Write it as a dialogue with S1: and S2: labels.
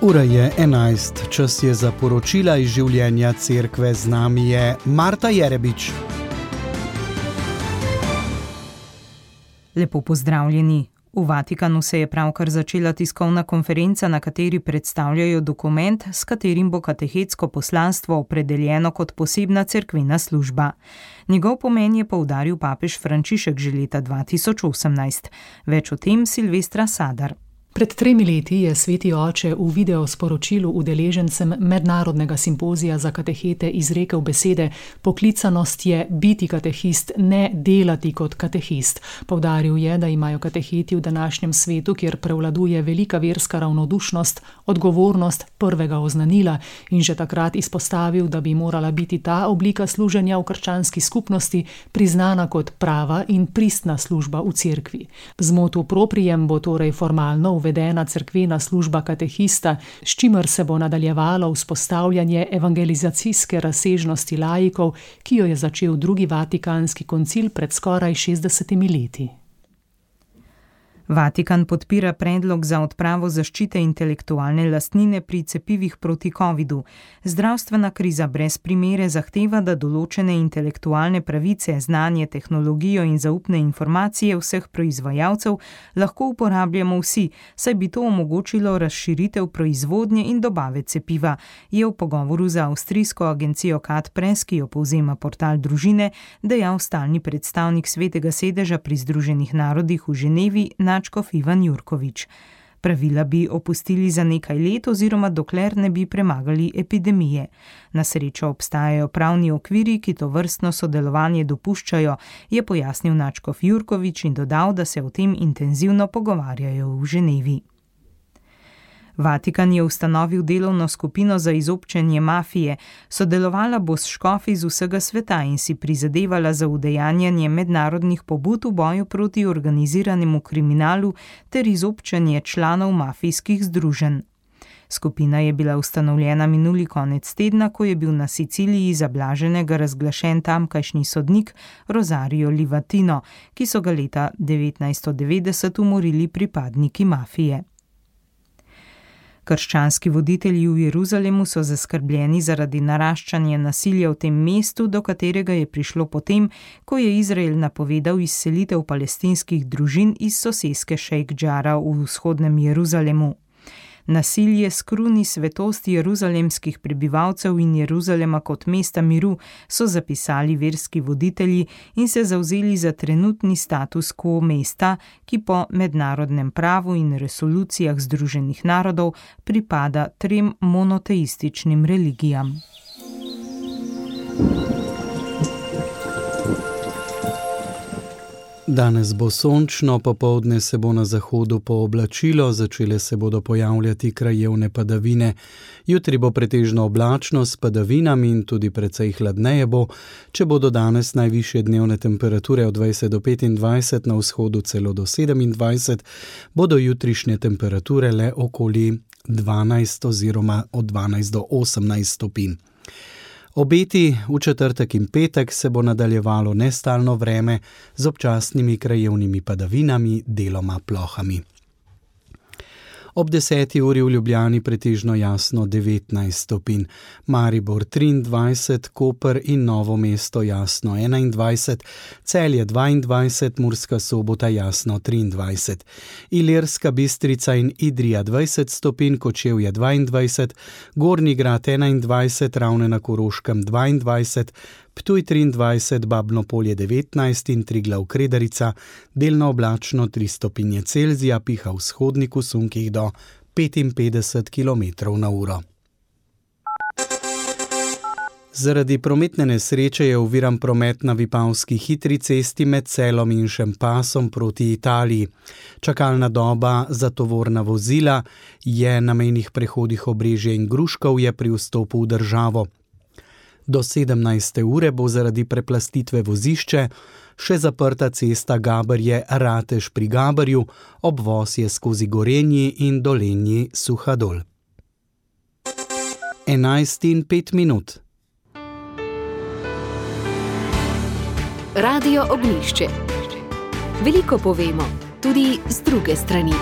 S1: Ura je 11, čas je za poročila iz življenja cerkve, z nami je Marta Jerebič.
S2: Lepo pozdravljeni. V Vatikanu se je pravkar začela tiskovna konferenca, na kateri predstavljajo dokument, s katerim bo katehetsko poslanstvo opredeljeno kot posebna cerkvena služba. Njegov pomen je poudaril papež Frančišek že leta 2018. Več o tem Silvestra Sadar.
S3: Pred 3 leti je sveti oče v videosporočilu udeležencem mednarodnega simpozija za katehete izrekel besede: poklicanost je biti katehist, ne delati kot katehist. Poudaril je, da imajo kateheti v današnjem svetu, kjer prevladuje velika verska ravnodušnost, odgovornost prvega oznanila in že takrat izpostavil, da bi morala biti ta oblika služenja v krščanski skupnosti priznana kot prava in pristna služba v cerkvi. Z motu proprijem bo torej formalno uvedena cerkvena služba katehista, s čimer se bo nadaljevalo vzpostavljanje evangelizacijske razsežnosti laikov, ki jo je začel drugi Vatikanski koncil pred skoraj 60 leti.
S2: Vatikan podpira predlog za odpravo zaščite intelektualne lastnine pri cepivih proti covidu. Zdravstvena kriza brez primere zahteva, da določene intelektualne pravice, znanje, tehnologijo in zaupne informacije vseh proizvajalcev lahko uporabljamo vsi, saj bi to omogočilo razširitev proizvodnje in dobave cepiva, je v pogovoru za avstrijsko agencijo CAT-Press, ki jo povzema portal Družine, dejal stalni predstavnik Svetega sedeža pri Združenih narodih v Ženevi, nadškof Ivan Jurkovič. Pravila bi opustili za nekaj let oziroma dokler ne bi premagali epidemije. Na srečo obstajajo pravni okviri, ki to vrstno sodelovanje dopuščajo, je pojasnil nadškof Jurkovič in dodal, da se o tem intenzivno pogovarjajo v Ženevi. Vatikan je ustanovil delovno skupino za izobčenje mafije, sodelovala bo s škofi z vsega sveta in si prizadevala za udejanjanje mednarodnih pobud v boju proti organiziranemu kriminalu ter izobčenje članov mafijskih združenj. Skupina je bila ustanovljena minuli konec tedna, ko je bil na Siciliji za blaženega razglašen tamkajšnji sodnik Rosario Livatino, ki so ga leta 1990 umorili pripadniki mafije. Krščanski voditelji v Jeruzalemu so zaskrbljeni zaradi naraščanja nasilja v tem mestu, do katerega je prišlo potem, ko je Izrael napovedal izselitev palestinskih družin iz soseske Šejk Džara v vzhodnem Jeruzalemu. Nasilje skruni svetost jeruzalemskih prebivalcev in Jeruzalema kot mesta miru, so zapisali verski voditelji in se zavzeli za trenutni status quo mesta, ki po mednarodnem pravu in resolucijah Združenih narodov pripada 3 monoteističnim religijam.
S1: Danes bo sončno, popoldne se bo na zahodu pooblačilo, začele se bodo pojavljati krajevne padavine. Jutri bo pretežno oblačno s padavinami in tudi precej hladneje bo, če bodo danes najvišje dnevne temperature od 20 do 25, na vzhodu celo do 27, bodo jutrišnje temperature le okoli 12 oziroma od 12 do 18 stopinj. Obeti v četrtek in petek se bo nadaljevalo nestalno vreme z občasnimi krajevnimi padavinami, deloma plohami. Ob 10. uri v Ljubljani pretežno jasno 19 stopinj, Maribor 23, Koper in Novo mesto jasno 21, Celje 22, Murska Sobota jasno 23, Ilirska Bistrica in Idrija 20 stopinj, Kočevje 22, Gornji Grad 21, Ravne na Koroškem 22, Ptuj 23, Babno Polje 19 in Triglav Kredarica, delno oblačno 3 stopinje Celzija, piha v vzhodniku sunkih do 55 km/h. Zaradi prometne nesreče je oviran promet na Vipavski hitri cesti med Celom in Šempasom proti Italiji. Čakalna doba za tovorna vozila je na mejnih prehodih Obrežje in Gruškovje pri vstopu v državo. Do 17. ure bo zaradi preplastitve vozišče še zaprta cesta Gaberje-Ratež pri Gaberju, obvoz je skozi Gorenji in Dolenji Suhadol. 11:05.
S4: Radio Ognjišče. Veliko povemo, tudi z druge strani.